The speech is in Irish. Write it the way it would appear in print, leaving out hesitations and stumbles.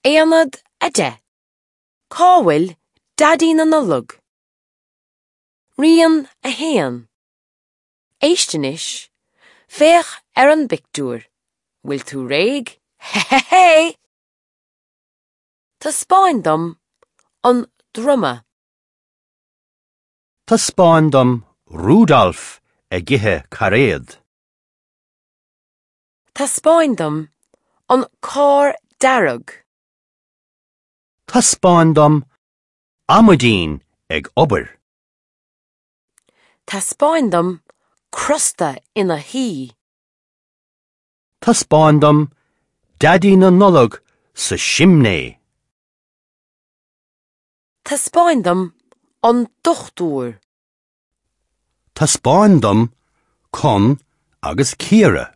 Aonad 10. Cá bhfuil Daidí na Nollag? Rian 1. Éist anois, féach ar an bpictiúr. Bhfuil tú réidh? Hé! Taispeáin dom an druma. Taispeáin dom Rudolf ag ithe cairéad. Taispeáin dom an carr dearg. Taispeáin dom amaidín ag obair. Taispeáin dom crosta ina shuí. Taispeáin dom Daidí na Nollag sa simné. Taispeáin dom an dochtúir. Taispeáin dom Con agus Ciara.